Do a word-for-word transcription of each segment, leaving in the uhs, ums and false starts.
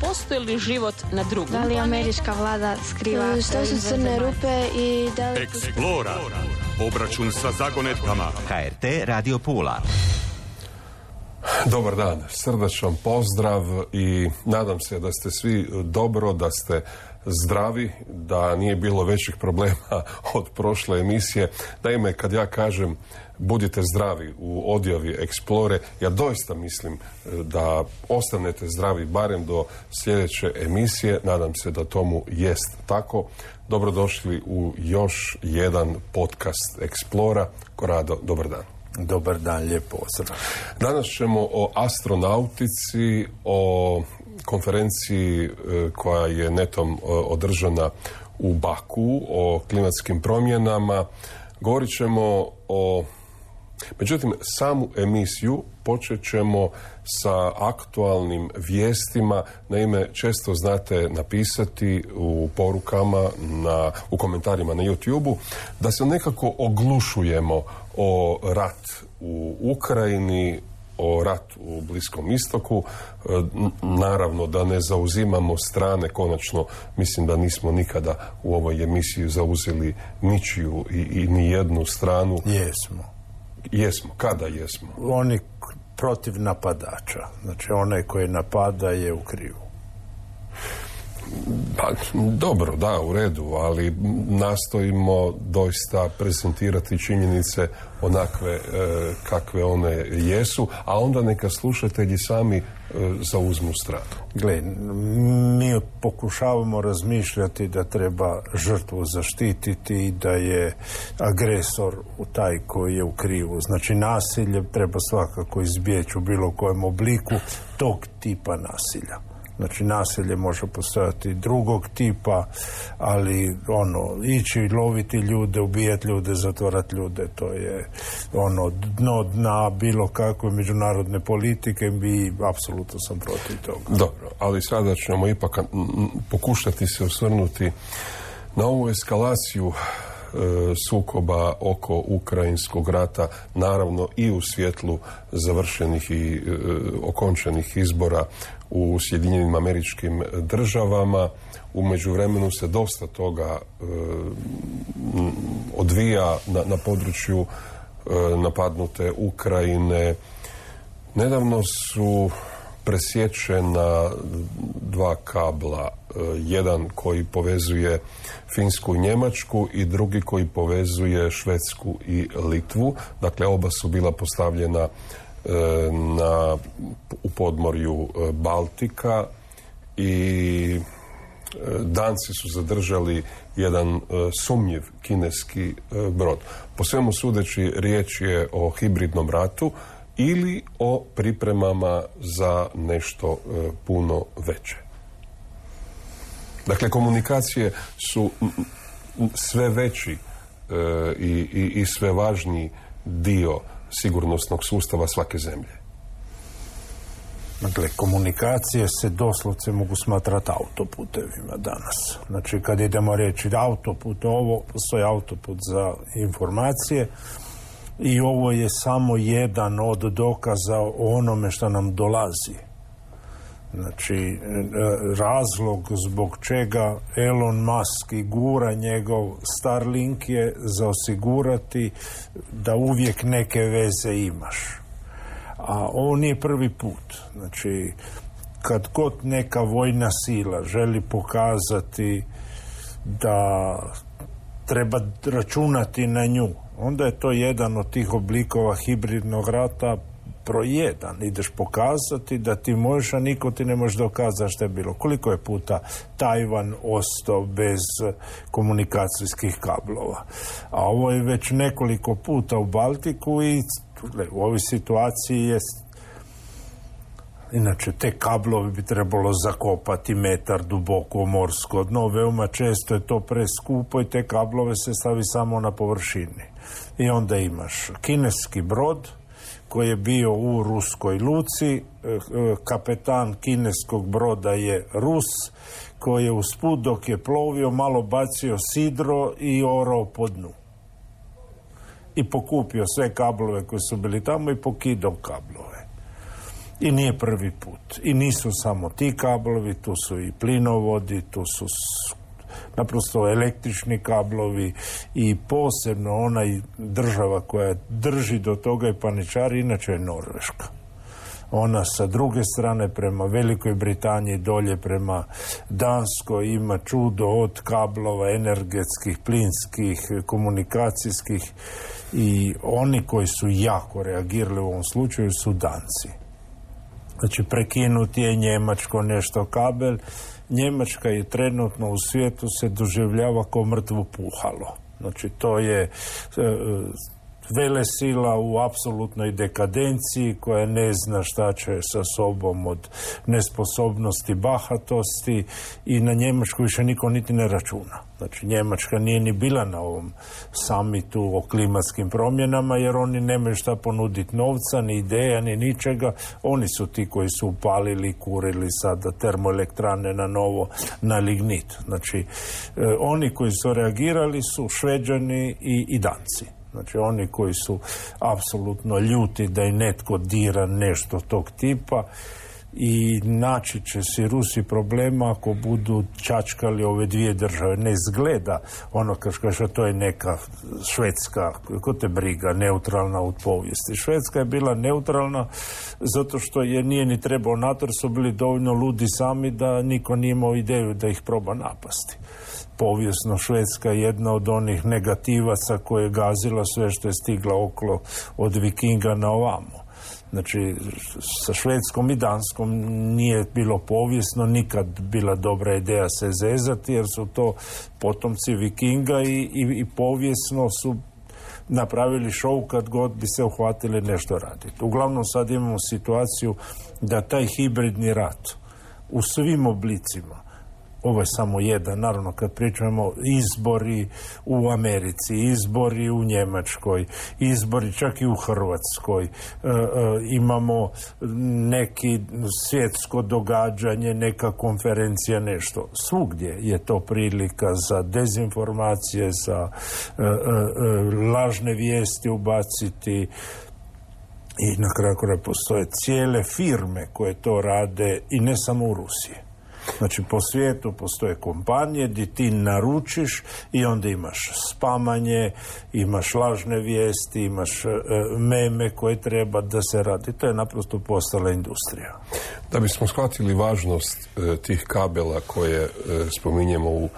postoji li život na drugom? Da li američka vlada skriva? Što su crne rupe i da li... Eksplora. Obračun sa zagonetkama. H R T Radio Pula. Dobar dan, srdačan pozdrav i nadam se da ste svi dobro, da ste zdravi, da nije bilo većih problema od prošle emisije. Naime, kad ja kažem budite zdravi u odjavi Explore, ja doista mislim da ostanete zdravi barem do sljedeće emisije. Nadam se da tomu jest tako. Dobrodošli u još jedan podcast Explora. Korado, dobar dan. Dobar dan, lijep pozdrav. Danas ćemo o astronautici, o konferenciji koja je netom održana u Baku, o klimatskim promjenama. Govorit ćemo o... Međutim, samu emisiju počet ćemo sa aktualnim vijestima. Naime, često znate napisati u porukama, na, u komentarima na YouTube-u, da se nekako oglušujemo o rat u Ukrajini, o ratu u Bliskom istoku. Naravno da ne zauzimamo strane, konačno mislim da nismo nikada u ovoj emisiji zauzeli ničiju i, i ni jednu stranu. Jesmo. Jesmo. Kada jesmo? Oni protiv napadača. Znači onaj koji napada je u krivu. Pa, dobro, da, u redu, ali nastojimo doista prezentirati činjenice onakve e, kakve one jesu, a onda neka slušatelji sami e, zauzmu stranu. Gle, mi pokušavamo razmišljati da treba žrtvu zaštititi i da je agresor u taj koji je u krivu. Znači nasilje treba svakako izbjeći u bilo kojem obliku tog tipa nasilja. Znači nasilje može postojati drugog tipa, ali ono, ići loviti ljude, ubijati ljude, zatvarati ljude, to je ono dno dna bilo kakve međunarodne politike i apsolutno sam protiv toga. Dobro, ali sada ćemo ipak pokušati se osvrnuti na ovu eskalaciju e, sukoba oko ukrajinskog rata, naravno i u svjetlu završenih i e, okončanih izbora u Sjedinjenim Američkim Državama. U međuvremenu se dosta toga e, odvija na, na području e, napadnute Ukrajine. Nedavno su presječena dva kabla, e, jedan koji povezuje Finsku i Njemačku i drugi koji povezuje Švedsku i Litvu. Dakle, oba su bila postavljena Na, u podmorju Baltika i Danci su zadržali jedan sumnjiv kineski brod. Po svemu sudeći riječ je o hibridnom ratu ili o pripremama za nešto puno veće. Dakle, komunikacije su sve veći i, i, i sve važniji dio sigurnosnog sustava svake zemlje. Dakle, komunikacije se doslovce mogu smatrati autoputevima danas. Znači, kad idemo reći autoput, ovo postoji autoput za informacije i ovo je samo jedan od dokaza o onome što nam dolazi. Znači, razlog zbog čega Elon Musk i gura njegov Starlink je za osigurati da uvijek neke veze imaš. A ovo nije prvi put. Znači, kad god neka vojna sila želi pokazati da treba računati na nju, onda je to jedan od tih oblikova hibridnog rata broj jedan. Ideš pokazati da ti možeš, a niko ti ne može dokazati što je bilo. Koliko je puta Tajvan ostao bez komunikacijskih kablova? A ovo je već nekoliko puta u Baltiku i u ovoj situaciji je... Inače, te kablovi bi trebalo zakopati metar duboko morsko dno. Veoma često je to preskupo i te kablove se stavi samo na površini. I onda imaš kineski brod koji je bio u ruskoj luci, kapetan kineskog broda je Rus, koji je usput dok je plovio malo bacio sidro i orao po dnu. I pokupio sve kablove koji su bili tamo i pokidao kablove. I nije prvi put. I nisu samo ti kablovi, tu su i plinovodi, tu su naprosto električni kablovi i posebno onaj država koja drži do toga i paničari, inače je Norveška. Ona sa druge strane prema Velikoj Britaniji dolje prema Danskoj ima čudo od kablova energetskih, plinskih, komunikacijskih i oni koji su jako reagirali u ovom slučaju su Danci. Znači prekinuti je Njemačko nešto kabel. Njemačka je trenutno u svijetu se doživljava kao mrtvo puhalo. Znači to je velesila u apsolutnoj dekadenciji koja ne zna šta će sa sobom od nesposobnosti, bahatosti i na Njemačku više niko niti ne računa. Znači Njemačka nije ni bila na ovom samitu o klimatskim promjenama jer oni nemaju šta ponuditi novca, ni ideja, ni ničega. Oni su ti koji su upalili, kurili sada termoelektrane na novo, na lignit. Znači eh, oni koji su reagirali su Šveđani i, i Danci. Znači oni koji su apsolutno ljuti da i netko dira nešto tog tipa i naći će si Rusi problema ako budu čačkali ove dvije države. Ne izgleda ono kao što to je neka Švedska, ko te briga, neutralna u povijesti. Švedska je bila neutralna zato što je nije ni trebao NATO, jer su bili dovoljno ludi sami da niko nije imao ideju da ih proba napasti. Povijesno Švedska je jedna od onih negativaca koje je gazila sve što je stigla okolo od Vikinga na ovamo. Znači, sa Švedskom i Danskom nije bilo povijesno nikad bila dobra ideja se zezati, jer su to potomci Vikinga i, i, i povijesno su napravili šou kad god bi se uhvatili nešto raditi. Uglavnom sad imamo situaciju da taj hibridni rat u svim oblicima, ovo je samo jedan, naravno kad pričamo izbori u Americi, izbori u Njemačkoj, izbori čak i u Hrvatskoj, e, e, imamo neki svjetsko događanje, neka konferencija, nešto. Svugdje je to prilika za dezinformacije, za e, e, lažne vijesti ubaciti. I na kraju kraja postoje cijele firme koje to rade i ne samo u Rusiji. Znači, po svijetu postoje kompanije gdje ti naručiš i onda imaš spamanje, imaš lažne vijesti, imaš e, meme koje treba da se radi. To je naprosto postala industrija. Da bismo shvatili važnost e, tih kabela koje e, spominjemo u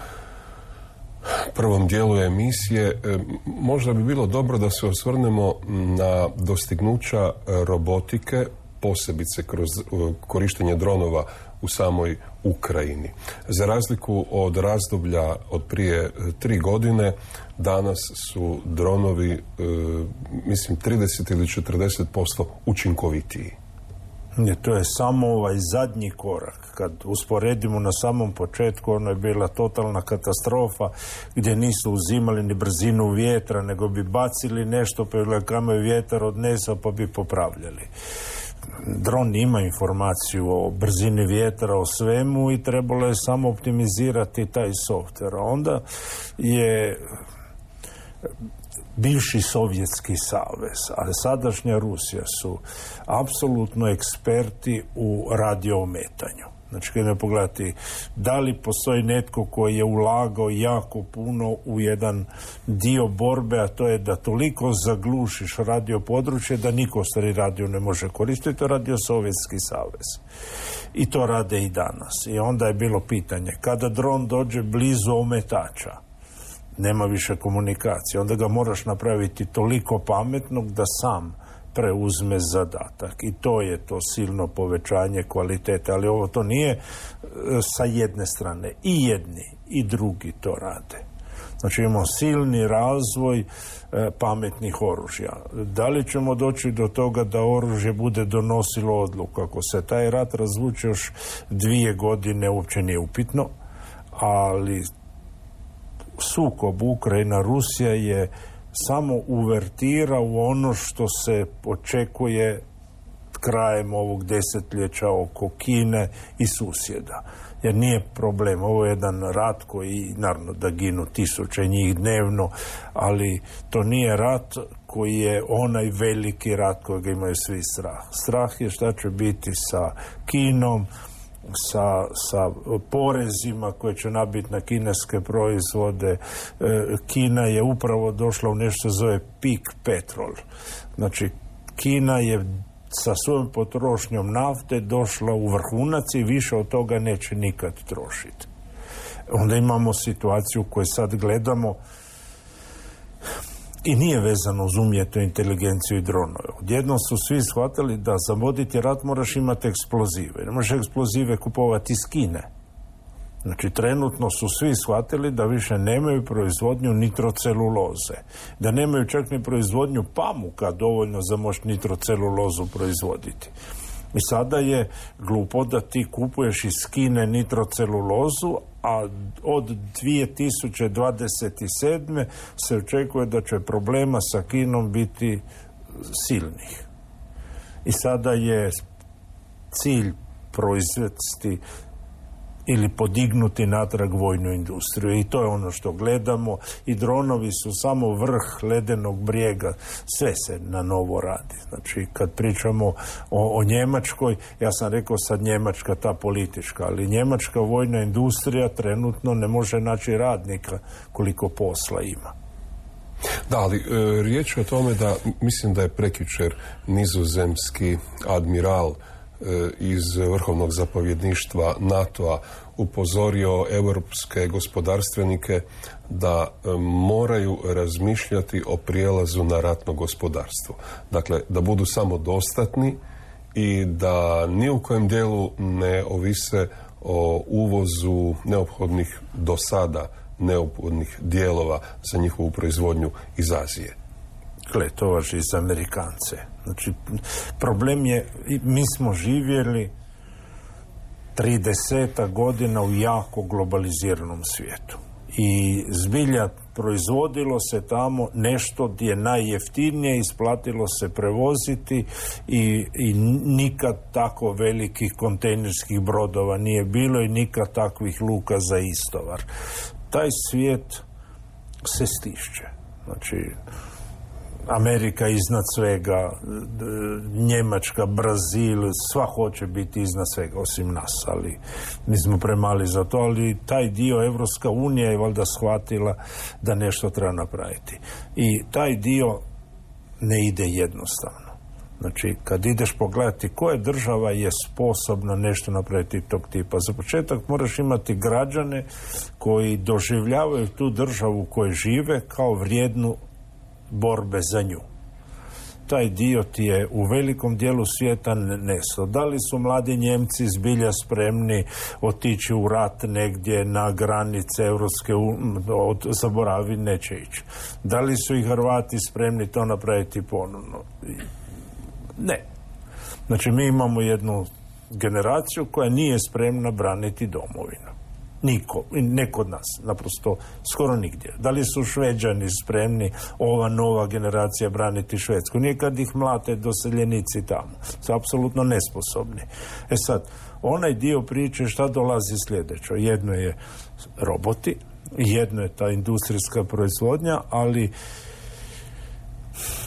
prvom dijelu emisije, e, možda bi bilo dobro da se osvrnemo na dostignuća robotike, posebice kroz e, korištenje dronova u samoj Ukrajini. Za razliku od razdoblja od prije tri godine, danas su dronovi, e, mislim, trideset ili četrdeset posto učinkovitiji. Ne, to je samo ovaj zadnji korak. Kad usporedimo na samom početku, ono je bila totalna katastrofa gdje nisu uzimali ni brzinu vjetra, nego bi bacili nešto, pa je kamaju vjetar odnesao, pa bi popravljali. Dron ima informaciju o brzini vjetra, o svemu i trebalo je samo optimizirati taj softver. Onda je bivši Sovjetski savez, a sadašnja Rusija su apsolutno eksperti u radioometanju. Znači, kada ne pogledati, da li postoji netko koji je ulagao jako puno u jedan dio borbe, a to je da toliko zaglušiš radio područje da niko stari radio ne može koristiti, to radio Sovjetski savez. I to rade i danas. I onda je bilo pitanje, kada dron dođe blizu ometača, nema više komunikacije, onda ga moraš napraviti toliko pametnog da sam preuzme zadatak. I to je to silno povećanje kvalitete, ali ovo to nije e, sa jedne strane. I jedni i drugi to rade. Znači imamo silni razvoj e, pametnih oružja. Da li ćemo doći do toga da oružje bude donosilo odluku? Ako se taj rat razvuče još dvije godine, uopće nije upitno, ali sukob Ukrajina-Rusija je samo uvertira u ono što se očekuje krajem ovog desetljeća oko Kine i susjeda. Jer nije problem, ovo je jedan rat koji, naravno da ginu tisuće njih dnevno, ali to nije rat koji je onaj veliki rat kojeg imaju svi strah. Strah je šta će biti sa Kinom, sa, sa porezima koje će nabiti na kineske proizvode. Kina je upravo došla u nešto zove peak petrol. Znači, Kina je sa svojom potrošnjom nafte došla u vrhunac i više od toga neće nikad trošiti. Onda imamo situaciju koju sad gledamo i nije vezano uz umjetnu inteligenciju i dronove. Odjednom su svi shvatili da za voditi rat moraš imati eksplozive. Ne možeš eksplozive kupovati iz Kine. Znači, trenutno su svi shvatili da više nemaju proizvodnju nitroceluloze. Da nemaju čak ni proizvodnju pamuka dovoljno za moći nitrocelulozu proizvoditi. I sada je glupo da ti kupuješ iz Kine nitrocelulozu, a od dvije tisuće dvadeset sedme se očekuje da će problema sa Kinom biti silnih. I sada je cilj proizvesti ili podignuti natrag vojnu industriju. I to je ono što gledamo. I dronovi su samo vrh ledenog brijega. Sve se na novo radi. Znači, kad pričamo o, o Njemačkoj, ja sam rekao sad Njemačka ta politička, ali njemačka vojna industrija trenutno ne može naći radnika koliko posla ima. Da, ali e, riječ je o tome da, mislim da je prekjučer nizozemski admiral iz vrhovnog zapovjedništva NATO-a upozorio europske gospodarstvenike da moraju razmišljati o prijelazu na ratno gospodarstvo. Dakle, da budu samodostatni i da ni u kojem dijelu ne ovise o uvozu neophodnih do sada neophodnih dijelova za njihovu proizvodnju iz Azije. Gle, to važi za Amerikance. Znači, problem je, mi smo živjeli trideset godina u jako globaliziranom svijetu. I zbilja proizvodilo se tamo nešto gdje je najjeftinije, isplatilo se prevoziti i, i nikad tako velikih kontejnerskih brodova nije bilo i nikad takvih luka za istovar. Taj svijet se stišće. Znači, Amerika iznad svega, Njemačka, Brazil, sva hoće biti iznad svega, osim nas, ali mi smo premali za to, ali taj dio Evropska unija je valjda shvatila da nešto treba napraviti. I taj dio ne ide jednostavno. Znači, kad ideš pogledati koja država je sposobna nešto napraviti tog tipa, za početak moraš imati građane koji doživljavaju tu državu u kojoj žive kao vrijednu borbe za nju. Taj dio ti je u velikom dijelu svijeta neso. Da li su mladi Njemci zbilja spremni otići u rat negdje na granice Europske unije, zaboravi, neće ići. Da li su i Hrvati spremni to napraviti ponovno? Ne. Znači, mi imamo jednu generaciju koja nije spremna braniti domovinu. Niko, ne kod nas, naprosto skoro nigdje. Da li su Šveđani spremni, ova nova generacija, braniti Švedsku? Nije kad ih mlate doseljenici tamo. Su apsolutno nesposobni. E sad, onaj dio priče šta dolazi sljedeće. Jedno je roboti, jedno je ta industrijska proizvodnja, ali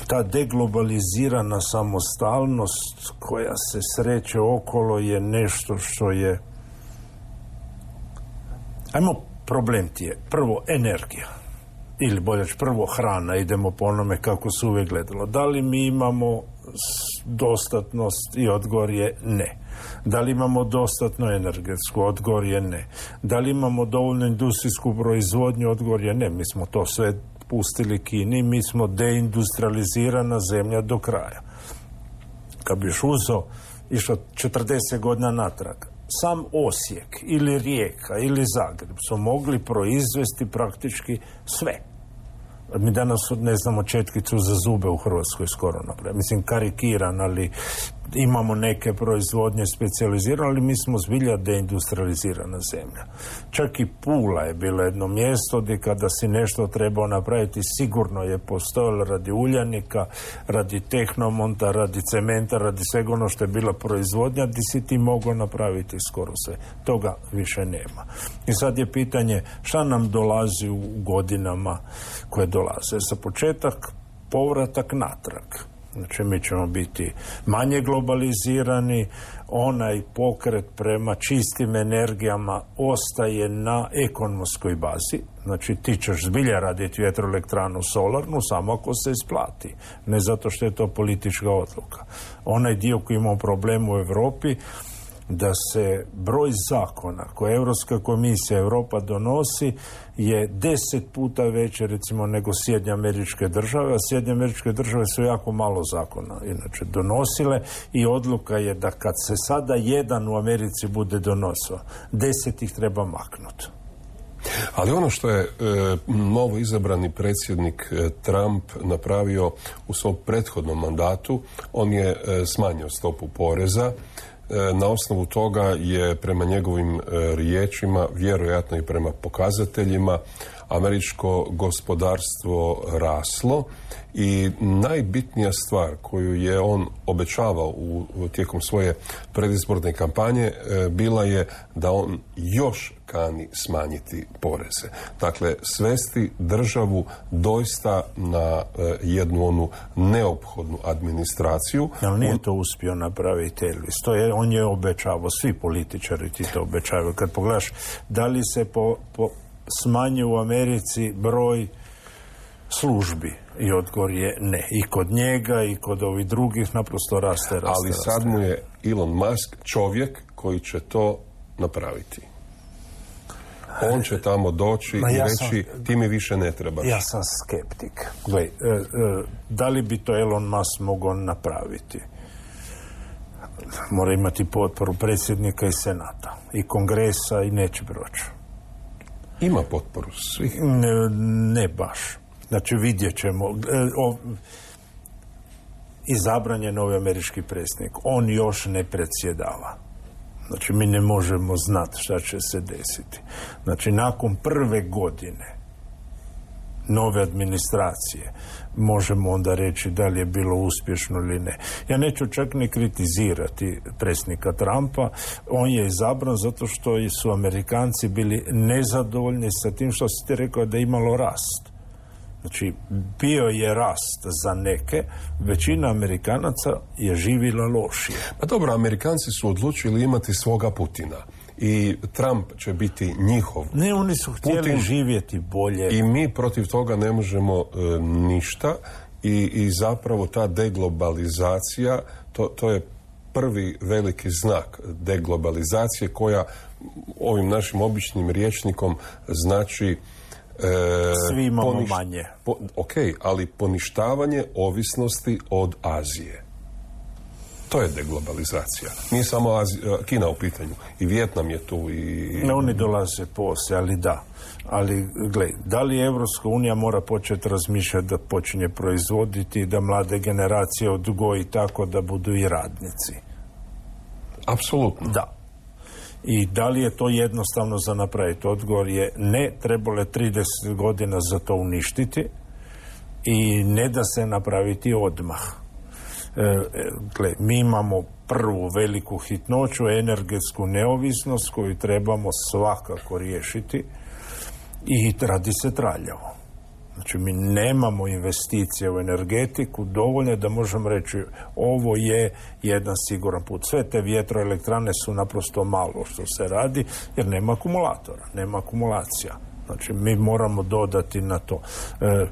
ta deglobalizirana samostalnost koja se sreće okolo je nešto što je, ajmo, problem ti je prvo energija, ili bolje prvo hrana, idemo po onome kako se uvijek gledalo. Da li mi imamo dostatnost i odgovor je ne. Da li imamo dostatno energetsku, odgovor je ne. Da li imamo dovoljnu industrijsku proizvodnju, odgovor je ne. Mi smo to sve pustili Kini, mi smo deindustrializirana zemlja do kraja. Kad bi još uzeo, išao četrdeset godina natrag, sam Osijek ili Rijeka ili Zagreb su mogli proizvesti praktički sve. Mi danas ne znamo četkicu za zube u Hrvatskoj skoro napraviti. Mislim, karikiran, ali imamo neke proizvodnje specijalizirane, ali mi smo zbilja deindustrializirana zemlja. Čak i Pula je bilo jedno mjesto gdje kada si nešto trebao napraviti, sigurno je postojalo radi uljanika, radi tehnomonta, radi cementa, radi svega ono što je bila proizvodnja, gdje si ti mogao napraviti skoro sve. Toga više nema. I sad je pitanje šta nam dolazi u godinama koje dolaze. Za početak, povratak natrag. Znači, mi ćemo biti manje globalizirani, onaj pokret prema čistim energijama ostaje na ekonomskoj bazi. Znači, ti ćeš zbilja raditi vjetroelektranu solarnu samo ako se isplati. Ne zato što je to politička odluka. Onaj dio koji ima problem u Europi, da se broj zakona koje Europska komisija Europa donosi je deset puta veće recimo nego Sjedinjene Američke Države, a Sjedinjene Američke Države su jako malo zakona inače donosile i odluka je da kad se sada jedan u Americi bude donosio, deset ih treba maknuti. Ali ono što je e, novo izabrani predsjednik e, Trump napravio u svom prethodnom mandatu, on je e, smanjio stopu poreza. Na osnovu toga je prema njegovim riječima, vjerojatno i prema pokazateljima, američko gospodarstvo raslo i najbitnija stvar koju je on obećavao u, tijekom svoje predizborne kampanje bila je da on još kani smanjiti poreze. Dakle, svesti državu doista na jednu onu neophodnu administraciju. Ali nije to uspio napraviti Elvis. To je, on je obećavao, svi političari ti to obećavaju. Kad pogledaš da li se po, po smanji u Americi broj službi i odgovor je ne. I kod njega i kod ovih drugih naprosto raste, raste. Ali sad raste. mu je Elon Musk čovjek koji će to napraviti. On će tamo doći Ma i ja reći sam, ti mi više ne trebaš. Ja sam skeptik. Gle, e, e, da li bi to Elon Musk mogao napraviti? Mora imati potporu predsjednika i senata i kongresa i neće proći. Ima potporu svih? Ne, ne baš. Znači vidjet ćemo. E, o, izabran je novi američki predsjednik. On još ne predsjedava. Znači, mi ne možemo znati šta će se desiti. Znači, nakon prve godine nove administracije možemo onda reći da li je bilo uspješno ili ne. Ja neću čak ni kritizirati predsjednika Trumpa. On je izabran zato što su Amerikanci bili nezadovoljni sa tim što si ti rekao da je imalo rast. Znači, bio je rast za neke, većina Amerikanaca je živjela lošije. Pa dobro, Amerikanci su odlučili imati svoga Putina i Trump će biti njihov. Ne, oni su htjeli Putin, živjeti bolje. I mi protiv toga ne možemo e, ništa i, i zapravo ta deglobalizacija, to, to je prvi veliki znak deglobalizacije koja ovim našim običnim rječnikom znači E, Svi imamo poniš, manje. Po, ok, ali poništavanje ovisnosti od Azije. To je deglobalizacija. Nije samo Azija, Kina u pitanju. I Vijetnam je tu. I... Ne, oni dolaze poslije, ali da. Ali, gle, da li Evropska unija mora početi razmišljati da počinje proizvoditi, da mlade generacije odgoji tako da budu i radnici? Apsolutno. Da. I da li je to jednostavno za napraviti? Odgovor je ne, trebalo je trideset godina za to uništiti i ne da se napraviti odmah. E, gle, mi imamo prvu veliku hitnoću, energetsku neovisnost koju trebamo svakako riješiti i radi se traljavo. Znači, mi nemamo investicije u energetiku dovoljne da možemo reći ovo je jedan siguran put. Sve te vjetroelektrane su naprosto malo što se radi jer nema akumulatora, nema akumulacija. Znači, mi moramo dodati na to. E,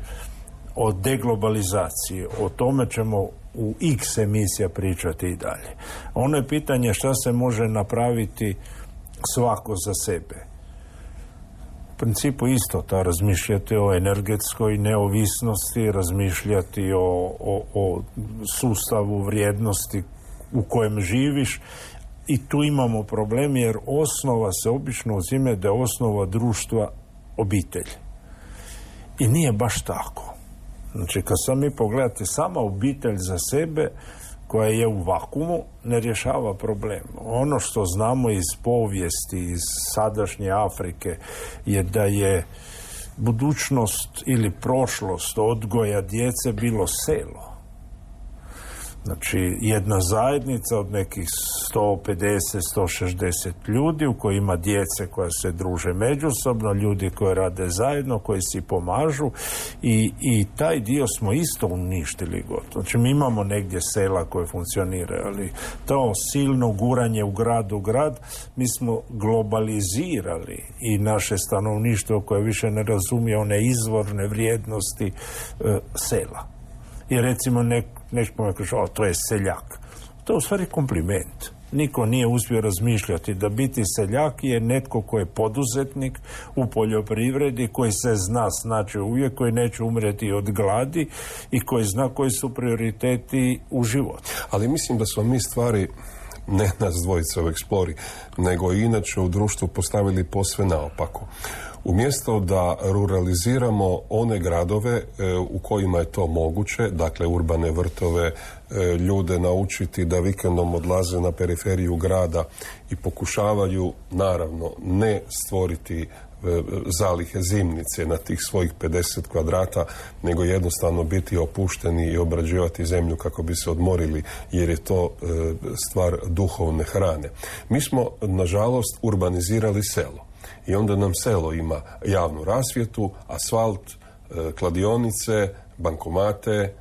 o deglobalizaciji, o tome ćemo u X emisija pričati i dalje. Ono je pitanje šta se može napraviti svako za sebe. U principu isto ta razmišljati o energetskoj neovisnosti, razmišljati o, o, o sustavu vrijednosti u kojem živiš i tu imamo problem jer osnova se obično uzime da je osnova društva obitelj. I nije baš tako. Znači, kad sam mi pogledate sama obitelj za sebe, koja je u vakumu, ne rješava problem. Ono što znamo iz povijesti, iz sadašnje Afrike, je da je budućnost ili prošlost odgoja djece bilo selo. Znači, jedna zajednica od nekih sto pedeset do sto šezdeset ljudi u kojoj ima djece koja se druže međusobno, ljudi koji rade zajedno, koji si pomažu i, i taj dio smo isto uništili gotovo. Znači, mi imamo negdje sela koje funkcioniraju, ali to silno guranje u grad u grad, mi smo globalizirali i naše stanovništvo koje više ne razumije one izvorne vrijednosti e, sela. I recimo nek, nešto kaže, o, to je seljak. To je u stvari kompliment. Niko nije uspio razmišljati da biti seljak je netko koji je poduzetnik u poljoprivredi, koji se zna snaći uvijek, koji neće umreti od gladi i koji zna koji su prioriteti u životu. Ali mislim da smo mi stvari, ne nas dvojica u Explori, nego i inače u društvu postavili posve naopako. Umjesto da ruraliziramo one gradove e, u kojima je to moguće, dakle urbane vrtove, e, ljude naučiti da vikendom odlaze na periferiju grada i pokušavaju, naravno, ne stvoriti e, zalihe zimnice na tih svojih pedeset kvadrata, nego jednostavno biti opušteni i obrađivati zemlju kako bi se odmorili, jer je to e, stvar duhovne hrane. Mi smo, nažalost, urbanizirali selo. I onda nam selo ima javnu rasvjetu, asfalt, e, kladionice, bankomate, e,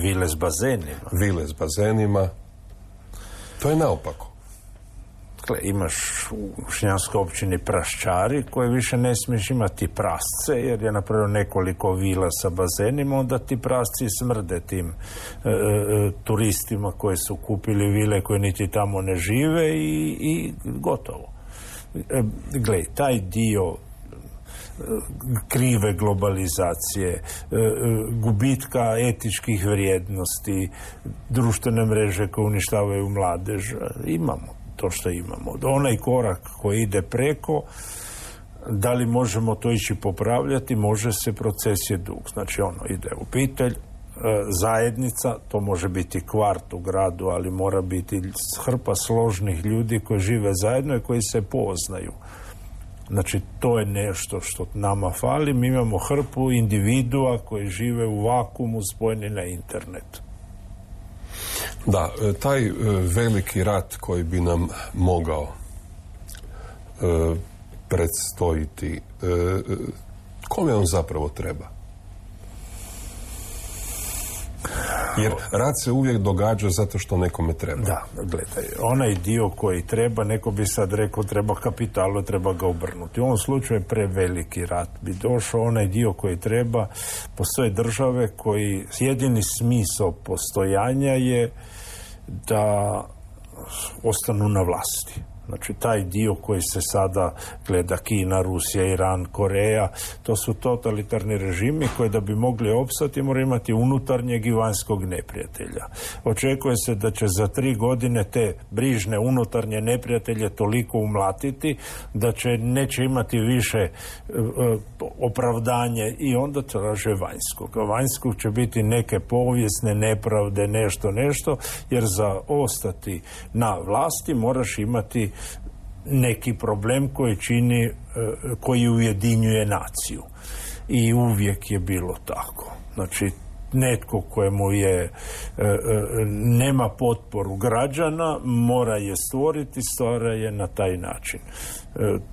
vile s bazenima. Vile s bazenima. To je naopako. Dakle, imaš u Šljanskoj općini praščari koje više ne smiješ imati prasce jer je napravio nekoliko vila sa bazenima, onda ti prasci smrde tim e, e, turistima koji su kupili vile koje niti tamo ne žive i, i gotovo. Gle, taj dio krive globalizacije, gubitka etičkih vrijednosti, društvene mreže koje uništavaju mladež, imamo to što imamo. Onaj korak koji ide preko, da li možemo to ići popravljati, može se, proces je dug. Znači ono, ide obitelj, zajednica, to može biti kvart u gradu, ali mora biti hrpa složnih ljudi koji žive zajedno i koji se poznaju. Znači, to je nešto što nama fali. Mi imamo hrpu individua koji žive u vakuumu spojeni na internet. Da, taj veliki rat koji bi nam mogao e, predstojiti, e, kome on zapravo treba? Jer rat se uvijek događa zato što nekome treba. Da, gledaj, onaj dio koji treba, neko bi sad rekao treba kapitalu, treba ga obrnuti. U ovom slučaju je preveliki rat bi došao, onaj dio koji treba, postoje države koji jedini smisao postojanja je da ostanu na vlasti. Znači, taj dio koji se sada gleda, Kina, Rusija, Iran, Koreja, to su totalitarni režimi koji da bi mogli opstati moraju imati unutarnjeg i vanjskog neprijatelja. Očekuje se da će za tri godine te brižne unutarnje neprijatelje toliko umlatiti da će neće imati više e, opravdanje i onda traže vanjskog. A vanjskog će biti neke povijesne nepravde, nešto, nešto, jer za ostati na vlasti moraš imati neki problem koji čini, koji ujedinjuje naciju. I uvijek je bilo tako. Znači, netko kojemu je nema potporu građana, mora je stvoriti, stvara je na taj način.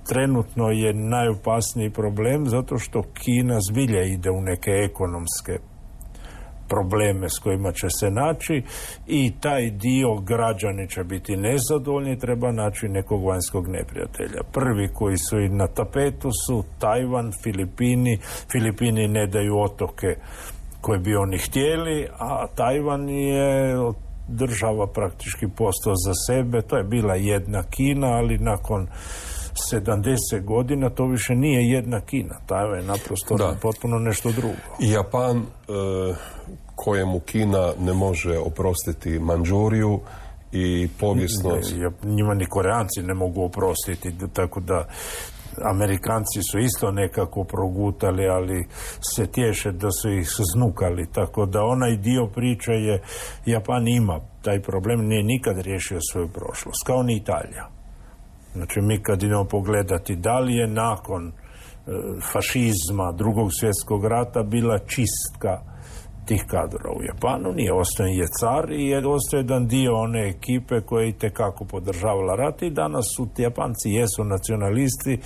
Trenutno je najopasniji problem zato što Kina zbilja ide u neke ekonomske probleme s kojima će se naći i taj dio građani će biti nezadovoljni, treba naći nekog vanjskog neprijatelja. Prvi koji su i na tapetu su Tajvan, Filipini. Filipini ne daju otoke koje bi oni htjeli, a Tajvan je država praktički postao za sebe. To je bila jedna Kina, ali nakon sedamdeset godina to više nije jedna Kina. Tajvan je naprosto da. potpuno nešto drugo. Japan, e, kojemu Kina ne može oprostiti Mandžuriju i povijesno... Ne, njima ni Koreanci ne mogu oprostiti, tako da Amerikanci su isto nekako progutali, ali se tješe da su ih znukali, tako da onaj dio priče je, Japan ima taj problem nije nikad riješio svoju prošlost, kao ni Italija. Znači mi kad idemo pogledati da li je nakon e, fašizma, drugog svjetskog rata bila čistka tih kadrova u Japanu, nije, ostaje je car i je ostaje jedan dio one ekipe koja je itekako podržavala rat i danas su ti Japanci jesu nacionalisti.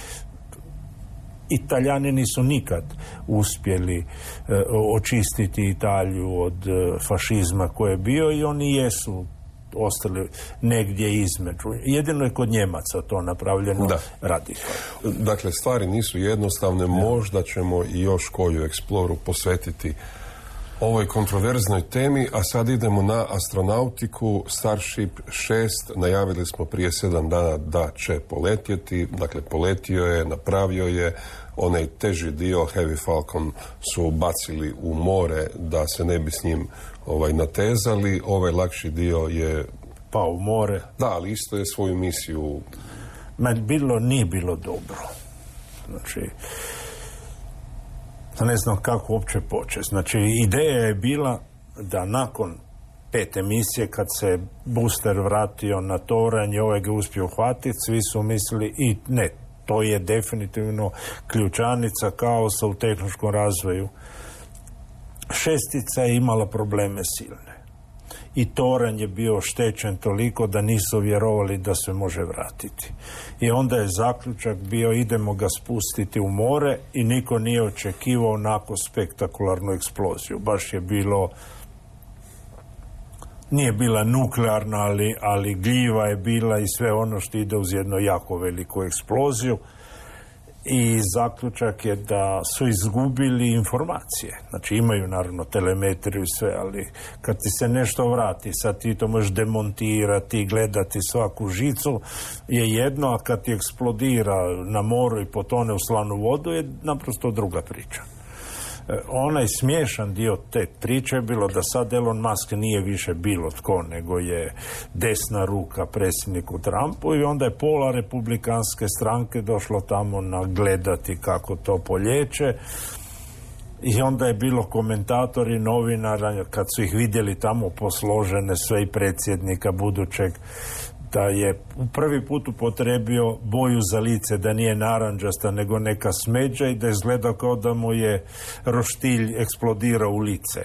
Italijani nisu nikad uspjeli e, očistiti Italiju od e, fašizma koje je bio i oni jesu ostali negdje između. Jedino je kod Njemaca to napravljeno radikalno. Dakle, stvari nisu jednostavne, ja. Možda ćemo i još koju eksploru posvetiti ovoj kontroverznoj temi, a sad idemo na astronautiku. Starship šest najavili smo prije sedam dana da će poletjeti, dakle poletio je, napravio je, onaj teži dio Heavy Falcon su bacili u more da se ne bi s njim ovaj, natezali, ovaj lakši dio je pao u more. Da, ali isto je svoju misiju. Ma bilo, nije bilo dobro. Znači, ne znam kako uopće početi. Znači, ideja je bila da nakon pete misije, kad se booster vratio na toranj i ovaj ga uspio uhvatiti, svi su mislili i ne, to je definitivno ključanica kaosa u tehnološkom razvoju. Šestica je imala probleme silne. I toranj je bio oštećen toliko da nisu vjerovali da se može vratiti. I onda je zaključak bio idemo ga spustiti u more i niko nije očekivao onako spektakularnu eksploziju. Baš je bilo, nije bila nuklearna, ali, ali gljiva je bila i sve ono što ide uz jednu jako veliku eksploziju. I zaključak je da su izgubili informacije. Znači imaju naravno telemetriju i sve, ali kad ti se nešto vrati, sad ti to možeš demontirati i gledati svaku žicu je jedno, a kad ti eksplodira na moru i potone u slanu vodu je naprosto druga priča. Onaj smiješan dio te priče je bilo da sad Elon Musk nije više bilo tko, nego je desna ruka predsjedniku Trumpu i onda je pola republikanske stranke došlo tamo nagledati kako to polječe i onda je bilo komentatori, novinara, kad su ih vidjeli tamo posložene sve i predsjednika budućeg, da je prvi put upotrebio boju za lice, da nije naranđasta nego neka smeđa i da izgleda kao da mu je roštilj eksplodirao u lice.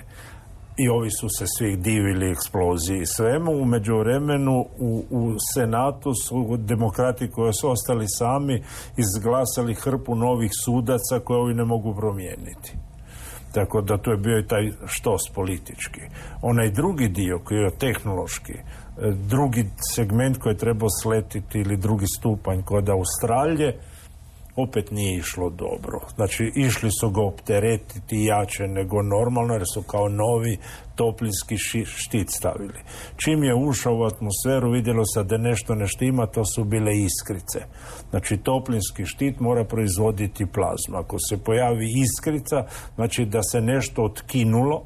I ovi su se svi divili eksploziji i svemu. U međuvremenu u, u Senatu su demokrati koji su ostali sami izglasali hrpu novih sudaca koje ovi ne mogu promijeniti. Tako da to je bio i taj štos politički. Onaj drugi dio koji je tehnološki, drugi segment koji je trebao sletiti ili drugi stupanj kod Australije, opet nije išlo dobro. Znači, išli su ga opteretiti jače nego normalno, jer su kao novi toplinski štit stavili. Čim je ušao u atmosferu, vidjelo se da nešto ne štima, to su bile iskrice. Znači, toplinski štit mora proizvoditi plazmu. Ako se pojavi iskrica, znači da se nešto otkinulo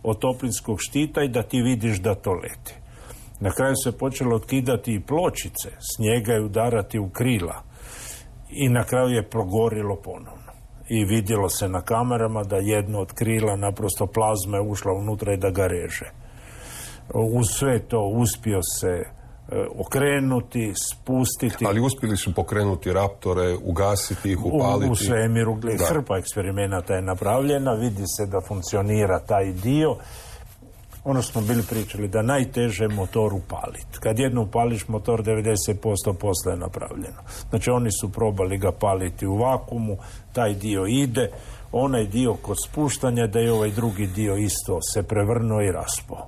od toplinskog štita i da ti vidiš da to leti. Na kraju se počelo otkidati i pločice, snijega i udarati u krila. I na kraju je progorilo ponovno. I vidjelo se na kamerama da jedno od krila naprosto plazma je ušla unutra i da ga reže. Uz sve to uspio se e, okrenuti, spustiti. Ali uspjeli su pokrenuti Raptore, ugasiti ih, upaliti. U, u svemiru, hrpa eksperimenata je napravljena, vidi se da funkcionira taj dio. Ono smo bili pričali, da najteže je motor upaliti. Kad jedno upališ motor, devedeset posto posla je napravljeno. Znači oni su probali ga paliti u vakumu, taj dio ide, onaj dio kod spuštanja, da je ovaj drugi dio isto se prevrnuo i raspao.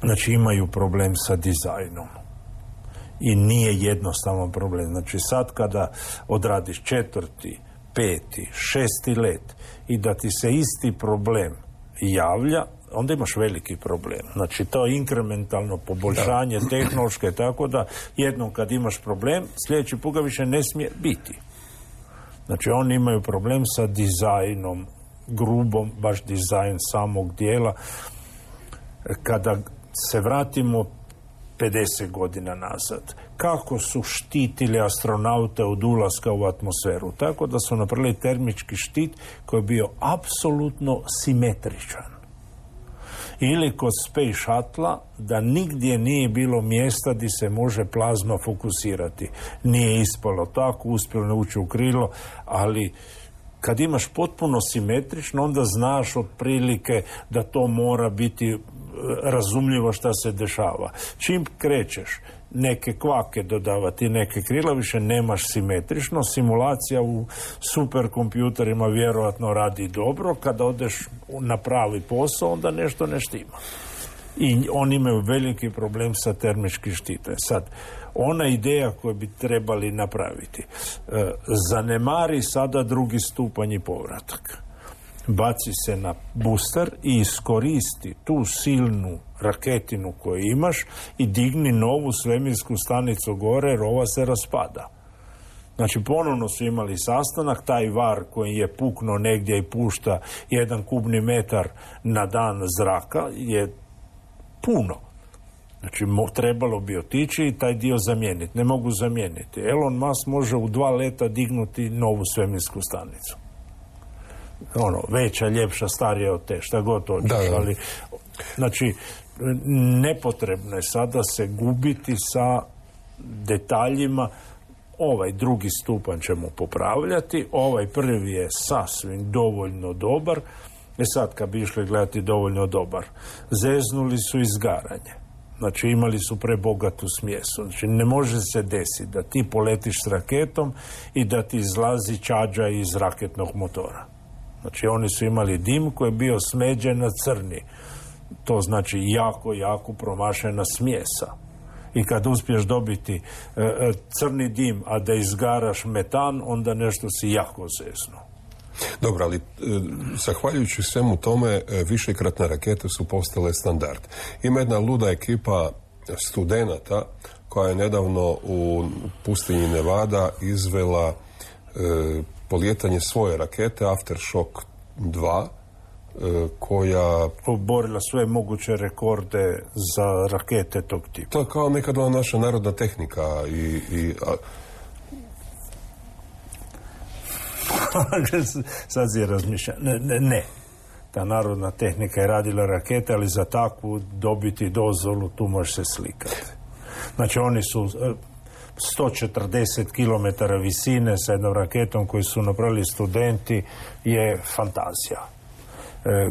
Znači imaju problem sa dizajnom. I nije jednostavan problem. Znači sad kada odradiš četvrti, peti, šesti let i da ti se isti problem javlja, onda imaš veliki problem. Znači, to je inkrementalno poboljšanje da. tehnološke, tako da jednom kad imaš problem, sljedeći put ga više ne smije biti. Znači, oni imaju problem sa dizajnom, grubom, baš dizajn samog dijela. Kada se vratimo pedeset godina nazad, kako su štitili astronaute od ulaska u atmosferu? Tako da su napravili termički štit koji je bio apsolutno simetričan. Ili kod Space Shuttle da nigdje nije bilo mjesta gdje se može plazma fokusirati. Nije ispalo tako, uspjelo ući u krilo, ali kad imaš potpuno simetrično, onda znaš otprilike da to mora biti razumljivo šta se dešava. Čim krećeš neke kvake dodavati, neke krila, više nemaš simetrično. Simulacija u superkompjuterima vjerojatno radi dobro. Kada odeš na pravi posao, onda nešto ne štima. I oni imaju veliki problem sa termičkim štitom. Sad, ona ideja koju bi trebali napraviti, e, zanemari sada drugi stupanj i povratak. Baci se na booster i iskoristi tu silnu raketinu koju imaš i digni novu svemirsku stanicu gore, jer ova se raspada. Znači, ponovno su imali sastanak, taj var koji je puknuo negdje i pušta jedan kubni metar na dan zraka je puno. Znači, mo, trebalo bi otići i taj dio zamijeniti. Ne mogu zamijeniti. Elon Musk može u dva leta dignuti novu svemirsku stanicu. Ono, veća, ljepša, starija od te, šta god hoćeš. Da, da. Ali, znači, nepotrebno je sada se gubiti sa detaljima. Ovaj drugi stupanj ćemo popravljati, ovaj prvi je sasvim dovoljno dobar. E sad, kad bi išli gledati dovoljno dobar, zeznuli su izgaranje. Znači, imali su prebogatu smjesu. Znači, ne može se desiti da ti poletiš s raketom i da ti izlazi čađa iz raketnog motora. Znači, oni su imali dim koji je bio smeđen na crni. To znači jako, jako promašena smjesa. I kad uspiješ dobiti e, crni dim, a da izgaraš metan, onda nešto si jako zeznuo. Dobro, ali e, zahvaljujući svemu tome, e, višekratne rakete su postale standard. Ima jedna luda ekipa studenata koja je nedavno u pustinji Nevada izvela e, polijetanje svoje rakete Aftershock dva, e, koja oborila sve moguće rekorde za rakete tog tipa. To je kao nekada naša narodna tehnika i... i a... Sad si razmišlja. Ne, ne, ne. Ta narodna tehnika je radila rakete, ali za takvu dobiti dozvolu tu može se slikati. Znači, oni su sto četrdeset kilometara visine sa jednom raketom koju su napravili studenti, je fantazija. E,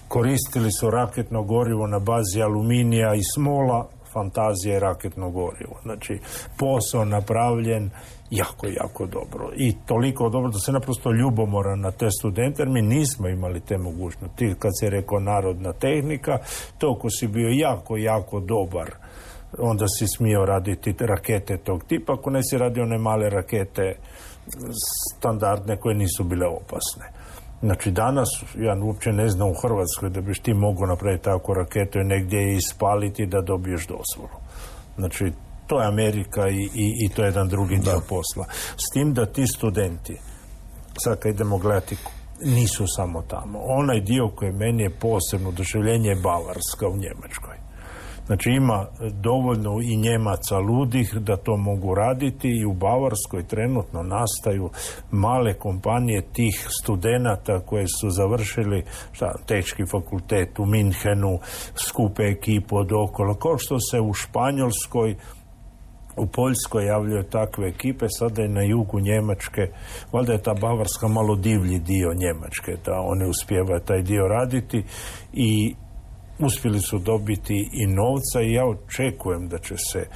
koristili su raketno gorivo na bazi aluminija i smola, fantazija je raketno gorivo. Znači, posao napravljen jako, jako dobro. I toliko dobro da se naprosto ljubomoran na te studente, jer mi nismo imali te mogućnosti. Kad se rekao narodna tehnika, toliko si bio jako, jako dobar, onda si smio raditi rakete tog tipa, ako ne si radio one male rakete standardne koje nisu bile opasne. Znači, danas, ja uopće ne znam u Hrvatskoj da biš ti mogao napraviti tako raketu i negdje ispaliti da dobiješ dozvolu. Znači, to je Amerika i, i, i to je jedan drugi dio posla. S tim da ti studenti, sad kad idemo gledati, nisu samo tamo. Onaj dio koji meni je posebno oduševljenje je Bavarska u Njemačkoj. Znači, ima dovoljno i Njemaca ludih da to mogu raditi i u Bavarskoj trenutno nastaju male kompanije tih studenata koje su završili šta, tehnički fakultet u Minhenu, skupe ekipu od okolo, kao što se u Španjolskoj, u Poljskoj javljaju takve ekipe, sada je na jugu Njemačke, valjda je ta Bavarska malo divlji dio Njemačke, da one uspijevaju taj dio raditi i uspjeli su dobiti i novca i ja očekujem da će se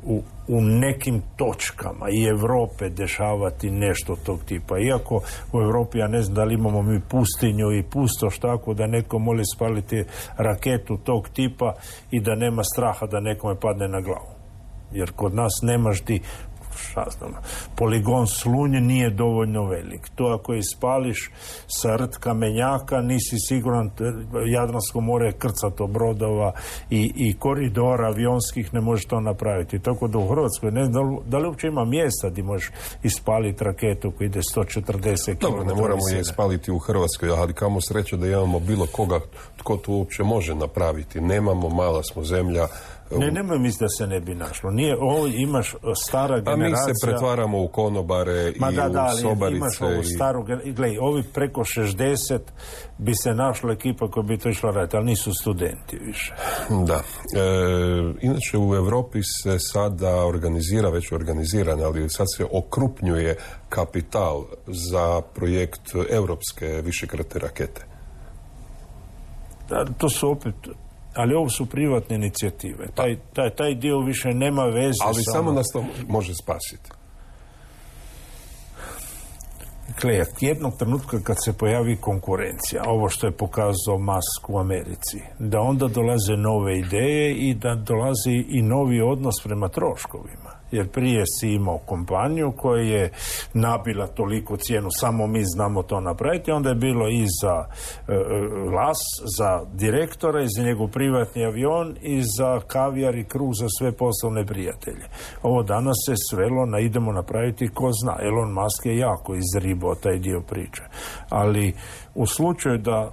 u, u nekim točkama i Europe dešavati nešto tog tipa. Iako u Europi, ja ne znam da li imamo mi pustinju i pustoš tako da neko može spaliti raketu tog tipa i da nema straha da nekome padne na glavu. Jer kod nas nemaš ti, šta znam, poligon Slunj nije dovoljno velik. To ako ispališ sa rt kamenjaka, nisi siguran, Jadransko more je krcato brodova i, i koridora avionskih, ne možeš to napraviti. Tako da u Hrvatskoj ne znam da li, da li uopće ima mjesta gdje možeš ispaliti raketu koja ide sto četrdeset kilometara. Dobro, ne moramo je ispaliti u Hrvatskoj, ali kamo sreće da imamo bilo koga tko to uopće može napraviti. Nemamo, mala smo zemlja, Ne, nemoj misliti da se ne bi našlo. Nije, ovo imaš stara generacija... A mi se pretvaramo u konobare Ma i da, da, u sobarice. Imaš ovu staru generacija. Glej, ovi preko šezdeset bi se našla ekipa koja bi to išla raditi, ali nisu studenti više. Da. E, inače, u Europi se sada organizira, već organiziran, ali sad se okrupnjuje kapital za projekt europske višekratne rakete. Da, to su opet... Ali ovo su privatne inicijative. Taj, taj, taj dio više nema veze. Ali samo, samo nas to može spasiti. Dakle, jednog trenutka kad se pojavi konkurencija, ovo što je pokazao Musk u Americi, da onda dolaze nove ideje i da dolazi i novi odnos prema troškovima. Jer prije si imao kompaniju koja je nabila toliko cijenu, samo mi znamo to napraviti, onda je bilo i za e, las, za direktora, i za njegov privatni avion, i za kavijar i kruh za sve poslovne prijatelje. Ovo danas se svelo na idemo napraviti ko zna. Elon Musk je jako izribao taj dio priče. Ali u slučaju da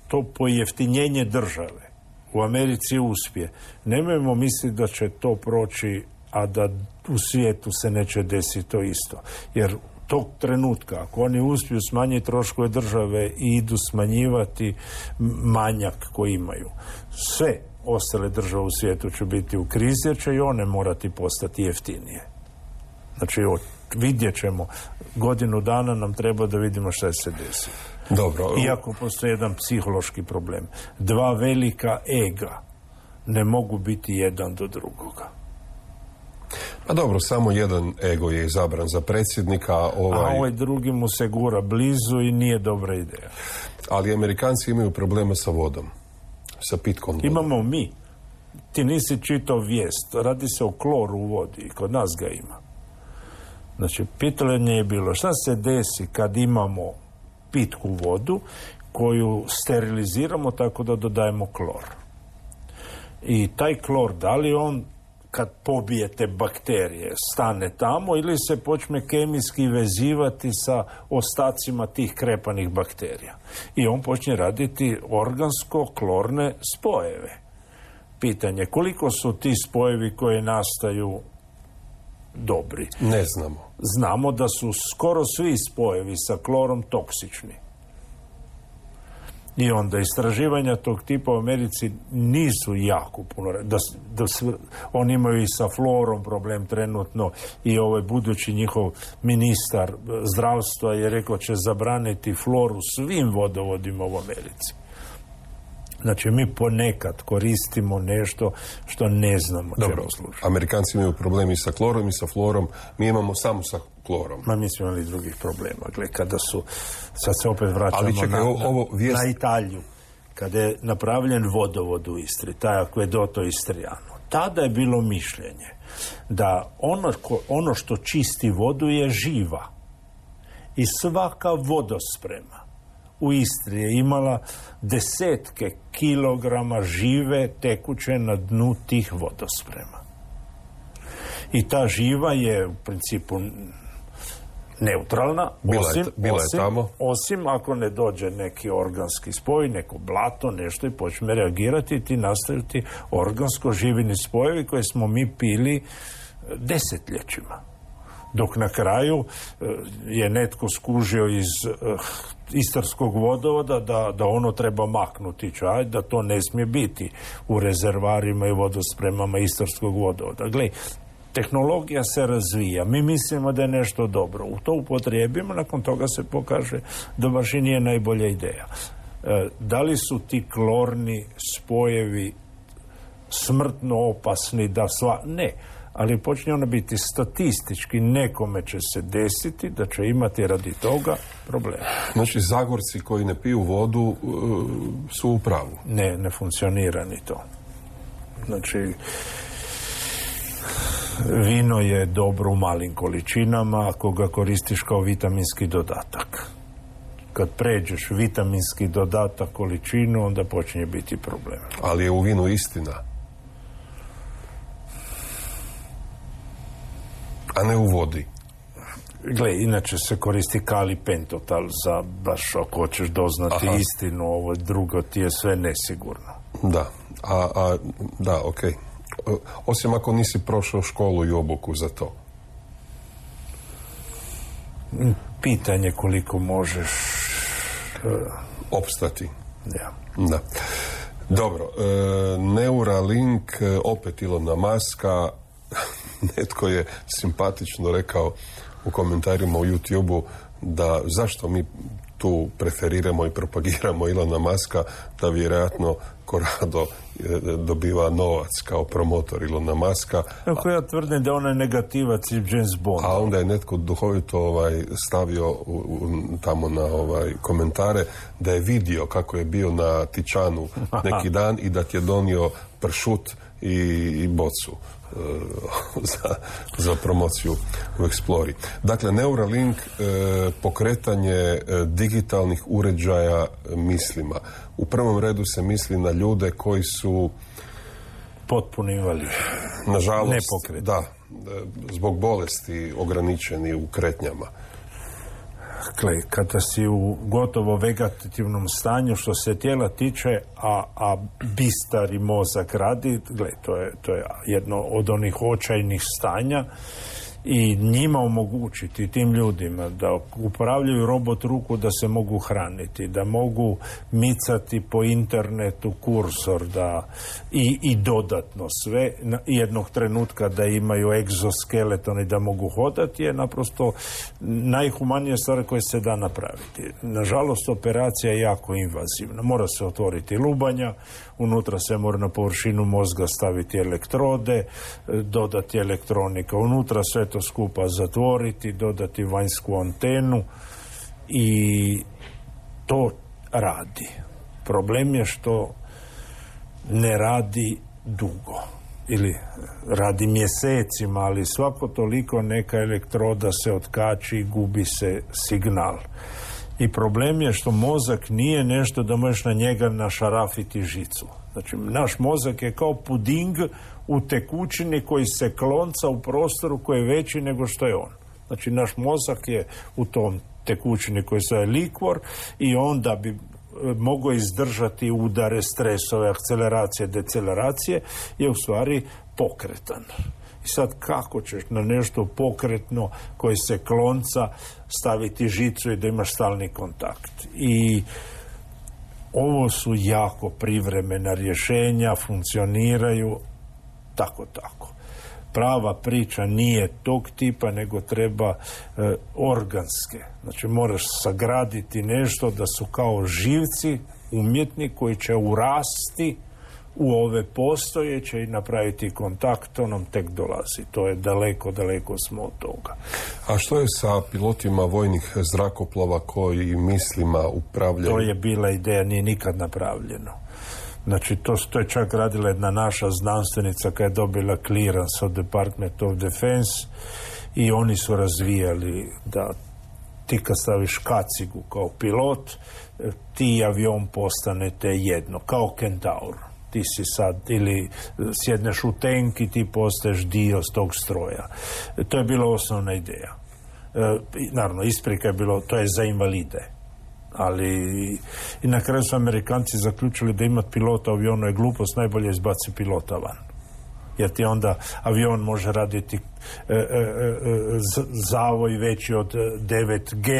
to pojeftinjenje države u Americi uspije, nemojmo misliti da će to proći, a da u svijetu se neće desiti to isto. Jer tog trenutka, ako oni uspiju smanjiti troškove države i idu smanjivati manjak koji imaju, sve ostale države u svijetu će biti u krizi, jer će i one morati postati jeftinije. Znači, vidjet ćemo. Godinu dana nam treba da vidimo šta se desi. Dobro. Iako postoji jedan psihološki problem. Dva velika ega ne mogu biti jedan do drugoga. Pa dobro, samo jedan ego je izabran za predsjednika. Ovaj... A ovaj drugi mu se gura blizu i nije dobra ideja. Ali Amerikanci imaju problema sa vodom. Sa pitkom vodom. Imamo mi. Ti nisi čitao vijest. Radi se o kloru u vodi. I kod nas ga ima. Znači, pitanje je bilo šta se desi kad imamo pitku vodu koju steriliziramo tako da dodajemo klor. I taj klor, da li on kad pobijete bakterije stane tamo ili se počne kemijski vezivati sa ostacima tih krepanih bakterija. I on počne raditi organsko-klorne spojeve. Pitanje, koliko su ti spojevi koji nastaju dobri? Ne znamo. Znamo da su skoro svi spojevi sa klorom toksični. I onda istraživanja tog tipa u Americi nisu jako puno. Da, da sve, oni imaju i sa fluorom problem trenutno i ovaj budući njihov ministar zdravstva je rekao će zabraniti fluor u svim vodovodima u Americi. Znači, mi ponekad koristimo nešto što ne znamo čemu služi. Amerikanci imaju problemi sa klorom i sa fluorom, mi imamo samo sa klorom. Ma mi smo imali drugih problema. Gle, kada su, sad se opet vraćamo Ali čekaj, na, ovo vijest... na Italiju. Kada je napravljen vodovod u Istri, taj Akvedoto Istrijano, tada je bilo mišljenje da ono, ono što čisti vodu je živa. I svaka vodosprema u Istri je imala desetke kilograma žive tekuće na dnu tih vodosprema. I ta živa je u principu neutralna, bila osim, je, bila osim, je tamo. osim ako ne dođe neki organski spoj, neko blato, nešto i počne reagirati i ti nastaju ti organsko živini spojevi koje smo mi pili desetljećima. Dok na kraju je netko skužio iz uh, istarskog vodovoda da, da ono treba maknuti čaj, da to ne smije biti u rezervarima i vodospremama istarskog vodovoda. Gle, tehnologija se razvija, mi mislimo da je nešto dobro, u to upotrijebimo, nakon toga se pokaže da baš i nije najbolja ideja. E, da li su ti klorni spojevi smrtno opasni da sva... Ne. Ali počne ona biti statistički, nekome će se desiti da će imati radi toga problema. Znači, Zagorci koji ne piju vodu uh, su u pravu. Ne, ne funkcionira ni to. Znači, vino je dobro u malim količinama ako ga koristiš kao vitaminski dodatak. Kad pređeš vitaminski dodatak količinu, onda počinje biti problem. Ali je u vinu istina. A ne u vodi. Gle, inače se koristi kali pentotal za baš ako hoćeš doznati Aha. istinu, ovo drugo ti je sve nesigurno. Da, a, a da, okej. Okay. osim ako nisi prošao školu i obuku za to. Pitanje koliko možeš uh, opstati. Ja. Da. Dobro, e, Neuralink, opet Ilona Muska, netko je simpatično rekao u komentarima u YouTube-u da zašto mi tu preferiramo i propagiramo Ilona Muska, da vjerojatno Corrado dobiva novac kao promotor Ilona Muska. Ako ja tvrdim da ona je negativac i James Bond. A onda je netko duhovito ovaj, stavio u, u, tamo na ovaj, komentare da je vidio kako je bio na Tičanu neki dan i da ti je donio pršut i, i bocu uh, za, za promociju u Explori. Dakle, Neuralink, uh, pokretanje uh, digitalnih uređaja mislima. U prvom redu se misli na ljude koji su potpuno invalidi. Nažalost, nepokretni. Da, zbog bolesti ograničeni u kretnjama. Dakle, kada si u gotovo vegetativnom stanju što se tijela tiče, a, a bistar i mozak radi, gle, to je, to je jedno od onih očajnih stanja i njima omogućiti, tim ljudima, da upravljaju robot ruku, da se mogu hraniti, da mogu micati po internetu kursor, da i, i dodatno sve, jednog trenutka da imaju egzoskeleton i da mogu hodati, je naprosto najhumanija stvar koja se da napraviti. Nažalost, operacija je jako invazivna. Mora se otvoriti lubanja, unutra se mora na površinu mozga staviti elektrode, dodati elektronika unutra, sve to skupa zatvoriti, dodati vanjsku antenu i to radi. Problem je što ne radi dugo ili radi mjesecima, ali svako toliko neka elektroda se otkači i gubi se signal. I problem je što mozak nije nešto da možeš na njega našarafiti žicu. Znači, naš mozak je kao puding u tekućini koji se klonca u prostoru koji je veći nego što je on. Znači, naš mozak je u tom tekućini koji se je likvor i onda bi mogao izdržati udare, stresove, akceleracije, deceleracije, je u stvari pokretan. I sad kako ćeš na nešto pokretno koji se klonca staviti žicu i da imaš stalni kontakt. I ovo su jako privremena rješenja, funkcioniraju tako tako. Prava priča nije tog tipa, nego treba e, organske. Znači moraš sagraditi nešto da su kao živci umjetni koji će urasti u ove postojeće i napraviti kontakt, to nam tek dolazi. To je daleko, daleko smo od toga. A što je sa pilotima vojnih zrakoplova koji mislima upravljaju? To je bila ideja, nije nikad napravljeno. Znači, to, to je čak radila jedna naša znanstvenica koja je dobila clearance od Department of Defense i oni su razvijali da ti kad staviš kacigu kao pilot, ti avion postanete jedno, kao Kentaur. Ti si sad, ili sjedneš u tank i ti postaješ dio tog stroja. To je bila osnovna ideja. E, naravno, isprika je bilo, to je za invalide. Ali i na kraju su Amerikanci zaključili da imati pilota u avionu je glupost, najbolje izbaci pilota van. Jer ti onda avion može raditi e, e, e, zavoj veći od devet G,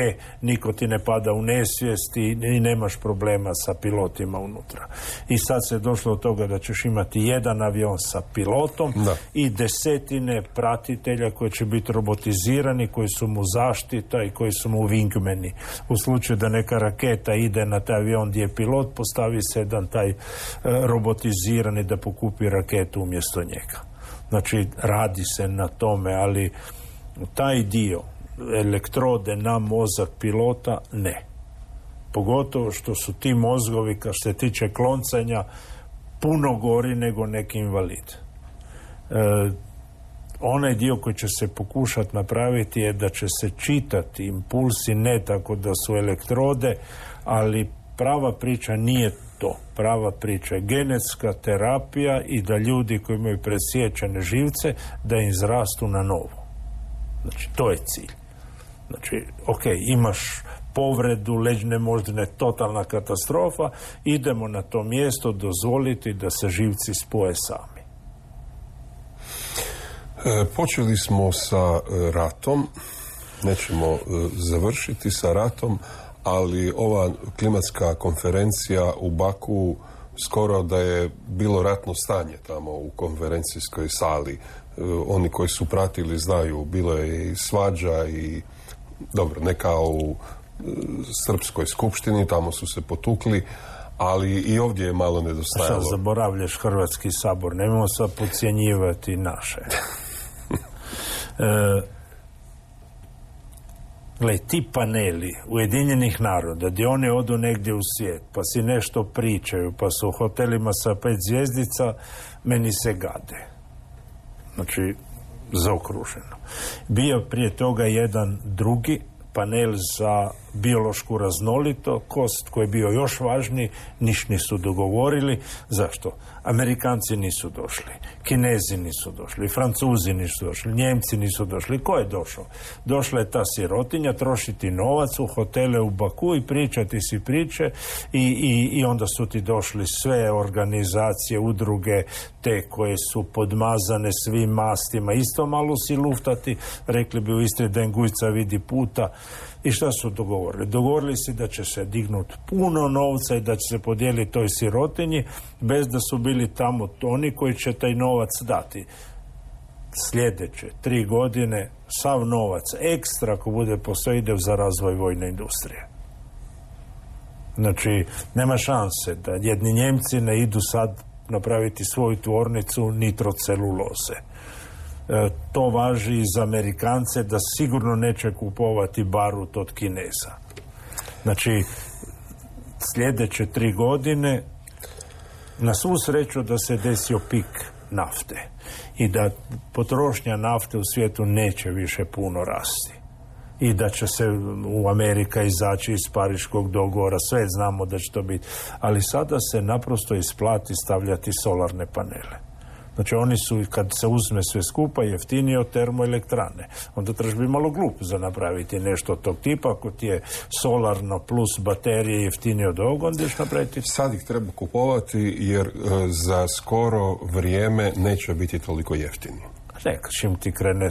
niko ti ne pada u nesvijest i, i nemaš problema sa pilotima unutra. I sad se je došlo od toga da ćeš imati jedan avion sa pilotom da. I desetine pratitelja koji će biti robotizirani, koji su mu zaštita i koji su mu wingmeni. U slučaju da neka raketa ide na taj avion gdje je pilot, postavi se jedan taj e, robotizirani da pokupi raketu umjesto njega. Znači, radi se na tome, ali taj dio elektrode na mozak pilota, ne. Pogotovo što su ti mozgovi, kad se tiče kloncanja, puno gori nego neki invalid. E, onaj dio koji će se pokušati napraviti je da će se čitati impulsi, ne tako da su elektrode, ali prava priča nije to. Prava priča je genetska terapija i da ljudi koji imaju presječene živce, da im izrastu na novo. Znači, to je cilj. Znači, ok, imaš povredu leđne moždine, totalna katastrofa, idemo na to mjesto dozvoliti da se živci spoje sami. E, počeli smo sa e, ratom, nećemo e, završiti sa ratom, ali ova klimatska konferencija u Baku skoro da je bilo ratno stanje tamo u konferencijskoj sali. E, oni koji su pratili znaju, bilo je i svađa i dobro, ne kao u e, srpskoj skupštini, tamo su se potukli, ali i ovdje je malo nedostajalo. Šta zaboravljaš Hrvatski sabor, nemojmo sad podcjenjivati naše. E, gle, ti paneli Ujedinjenih naroda, gdje oni odu negdje u svijet, pa si nešto pričaju, pa su u hotelima sa pet zvjezdica, meni se gade. Znači, zaokruženo. Bio prije toga jedan drugi panel za biološku raznolikost koji je bio još važniji, niš nisu dogovorili. Zašto? Amerikanci nisu došli, Kinezi nisu došli, Francuzi nisu došli, Njemci nisu došli. Ko je došao? Došla je ta sirotinja trošiti novac u hotele u Baku i pričati si priče i, i, i onda su ti došli sve organizacije, udruge, te koje su podmazane svim mastima. Isto malo si luftati, rekli bi u Istri da Engujca vidi puta. I šta su dogovorili? Dogovorili se da će se dignuti puno novca i da će se podijeliti toj sirotinji bez da su bili tamo oni koji će taj novac dati. Sljedeće tri godine sav novac ekstra ako bude posao ide za razvoj vojne industrije. Znači, nema šanse da jedni Njemci ne idu sad napraviti svoju tvornicu nitroceluloze. E, to važi i za Amerikance da sigurno neće kupovati barut od Kineza. Znači, sljedeće tri godine na svu sreću da se desio pik nafte i da potrošnja nafte u svijetu neće više puno rasti i da će se u Amerika izaći iz Pariškog dogovora, sve znamo da će to biti, ali sada se naprosto isplati stavljati solarne panele. Znači oni su, kad se uzme sve skupa, jeftinije od termoelektrane. Onda trebaš biti malo glup za napraviti nešto od tog tipa. Ako ti je solarno plus baterije jeftinije od ovog, onda ćeš napraviti. Sad ih treba kupovati jer e, za skoro vrijeme neće biti toliko jeftini. Neka, čim ti krene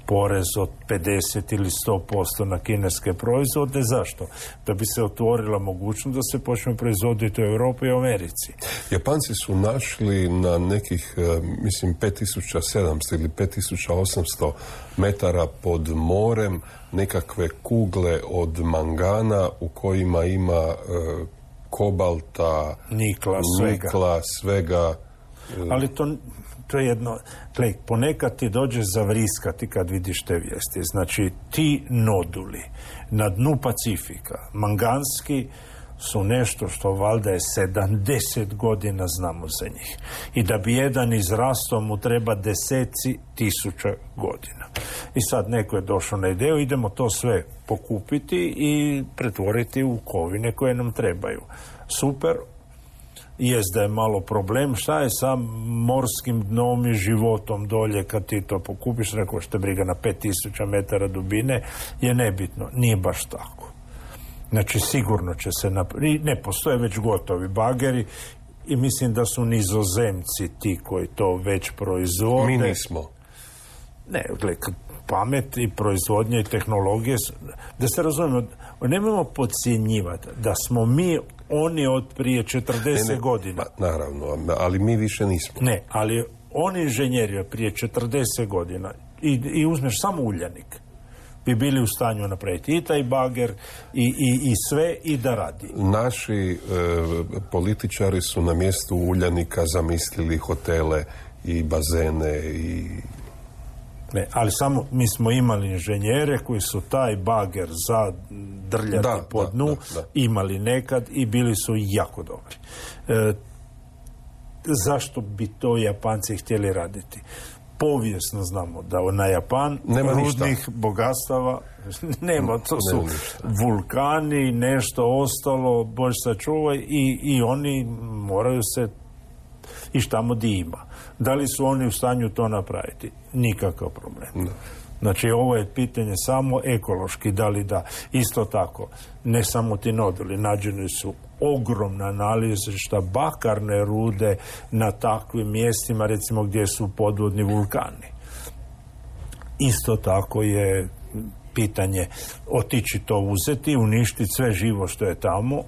porez od pedeset ili sto posto na kineske proizvode. Zašto? Da bi se otvorila mogućnost da se počne proizvoditi u Europi i u Americi. Japanci su našli na nekih, mislim, pet tisuća sedamsto ili pet tisuća osamsto metara pod morem nekakve kugle od mangana u kojima ima e, kobalta, nikla, svega. nikla, svega. Ali to... To je jedno, gled, ponekad ti dođe zavriskati kad vidiš te vijesti. Znači, ti noduli na dnu Pacifika, manganski, su nešto što valjda je sedamdeset godina znamo za njih. I da bi jedan izrastao mu treba deseci tisuća godina. I sad neko je došao na ideju, idemo to sve pokupiti i pretvoriti u kovine koje nam trebaju. Super. Jest da je malo problem, šta je sa morskim dnom i životom dolje kad ti to pokupiš, rekao što briga na pet tisuća metara dubine, je nebitno. Nije baš tako. Znači sigurno će se napraviti, ne postoje već gotovi bageri i mislim da su Nizozemci ti koji to već proizvode. Mi nismo. Ne, gledaj, pamet i proizvodnje i tehnologije, da se razumijemo, nemojmo podcjenjivati da smo mi oni od prije četrdeset ne, ne, godina. Pa, naravno, ali mi više nismo. Ne, ali oni inženjeri od prije četrdeset godina i, i uzmeš samo Uljanik bi bili u stanju napraviti i taj bager i, i, i sve i da radi. Naši e, političari su na mjestu Uljanika zamislili hotele i bazene i... Ne, ali samo mi smo imali inženjere koji su taj bager za drljati da, po dnu da, da, da. imali nekad i bili su jako dobri. E, zašto bi to Japanci htjeli raditi? Povijesno znamo da na Japan nema rudnih ništa. bogatstava nema, to su nema vulkani, nešto ostalo, Bož sačuvaj, i, i oni moraju se i tamo di ima. Da li su oni u stanju to napraviti? Nikakav problem. No. Znači, ovo je pitanje samo ekološki, da li da. Isto tako, ne samo ti noduli, nađeni su ogromna nalazišta bakarne rude na takvim mjestima, recimo gdje su podvodni vulkani. isto tako je pitanje otići to uzeti, uništiti sve živo što je tamo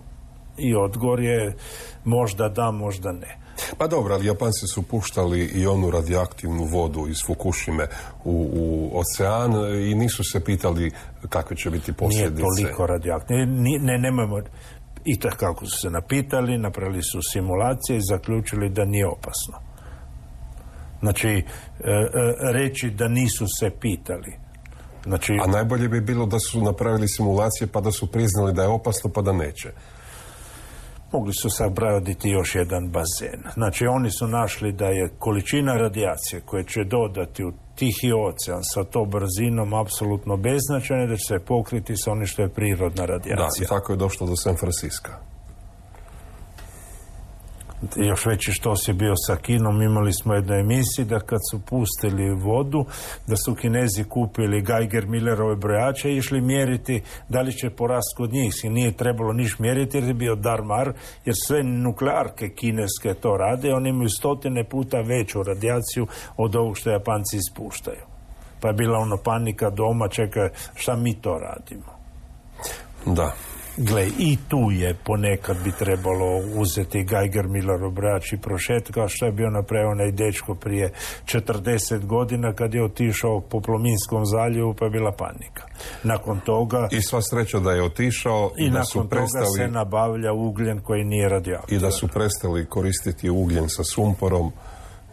i odgovor je možda da, možda ne. Pa dobro, ali Japanci su puštali i onu radioaktivnu vodu iz Fukushime u, u ocean i nisu se pitali kakve će biti posljedice. Nije toliko radioaktivno. Ne, ne, nemojmo... I tako kako su se napitali, napravili su simulacije i zaključili da nije opasno. Znači, e, e, reći da nisu se pitali. Znači, a najbolje bi bilo da su napravili simulacije pa da su priznali da je opasno pa da neće. Mogli su sagraditi još jedan bazen. Znači, oni su našli da je količina radijacije koje će dodati u Tihi ocean sa to brzinom apsolutno beznačajna, da će se pokriti sa onim što je prirodna radijacija. Da, i tako je došlo do San Francisca. Još veći štos je bio sa Kinom. Imali smo jednu emisiju da kad su pustili vodu, da su Kinezi kupili Geiger-Millerove brojače i išli mjeriti da li će porast kod njih. I nije trebalo niš mjeriti jer je bio dar-mar, jer sve nuklearke kineske to rade. Oni imaju stotine puta veću radijaciju od ovog što Japanci ispuštaju. Pa je bila ono panika doma, čekaj, šta mi to radimo? Da. Gle, i tu je ponekad bi trebalo uzeti Geiger-Millerov brojač i prošet, kao što je bio napravio onaj dečko prije četrdeset godina kad je otišao po Plominskom zaljevu pa je bila panika. Nakon toga... I sva sreća da je otišao i da nakon su prestali, toga se nabavlja ugljen koji nije radioaktivan. I da su prestali koristiti ugljen sa sumporom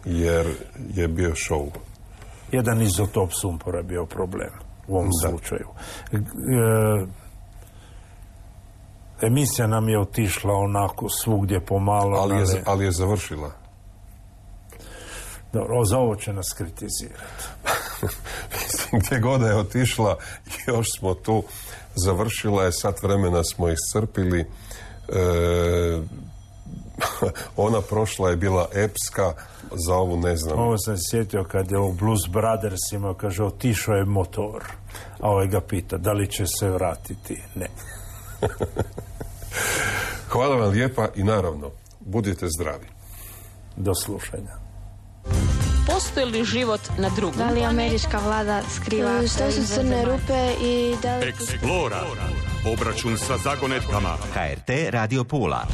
jer je bio šou. Jedan izotop sumpora je bio problem u ovom da. slučaju. E, Emisija nam je otišla onako svugdje pomalo. Ali je, ali je završila. Dobro, za ovo će nas kritizirati. Mislim, gdje god je otišla, još smo tu. Završila je, sat vremena smo iscrpili. E, ona prošla je bila epska, za ovu ne znam. Ovo sam sjetio kad je u Blues Brothers imao, kaže, otišao je motor. A ovaj ga pita, da li će se vratiti? Ne. Hvala vam lijepa i naravno, budite zdravi. Do slušanja. Postoji li život na drugom? Da li američka vlada skriva? Što su crne rupe i da li... Explora. Obračun sa zagonetkama. H R T Radio Pula.